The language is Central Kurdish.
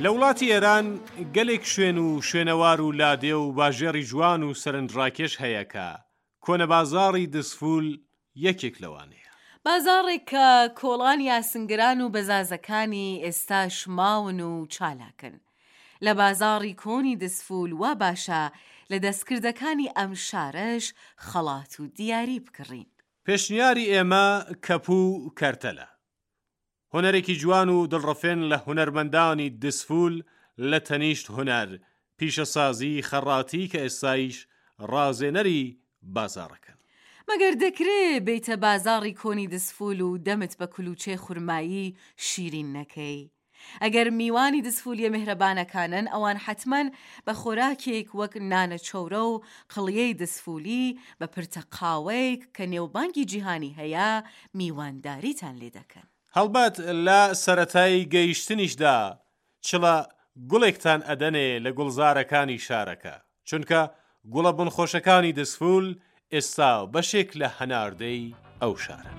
لە وڵاتی ئێران گەلێک شوێن و شوێنەوار و لادێ و باژێڕی جوان و سەرنجڕاکێش هەیە کە کۆنە بازاڕی دزفول یەکێک لەوانەیە. بازاڕێک کە کۆڵانی ئاسنگران و بەزازەکانی ئێستاش ماون و چالاکن. لە بازاڕی کۆنی دزفول وا باشە لە دەستکردەکانی ئەم شارەش خەڵات و دیاری بکڕین. پێشنیاری ئێمە کەپوو و کەرتەلە. هونەرێکی جوان و دڵڕفێن لە هونەرمەندانی دزفول لە تەنیشت هونەر پیشەسازی خەڕاتی کە ئێستایش ڕازێنەری بازاڕەکەن. مەگەر دەکرێ بێیتە بازاڕی کۆنی دزفول و دەمت بە کولوچەی خورمایی شیرین نەکەی؟ ئەگەر میوانی دزفولیە میهرەبانەکانن ئەوان حەتمەن بە خۆراکێک وەک نانە چەورە و قڵیەی دزفولی بە پرتە قاوەیک کە نێوبانگی جیهانی هەیە میوانداریتان لێ دەکەن. هەڵبەت لە سەرەتای گەیشتنیشدا چڵە گوڵێکتان ئەدەنێ لە گوڵزارەکانی شارەکە، چونکە گوڵە بۆنخۆشەکانی دزفول ئێستا بەشێک لە هەناردەی ئەو شارەن.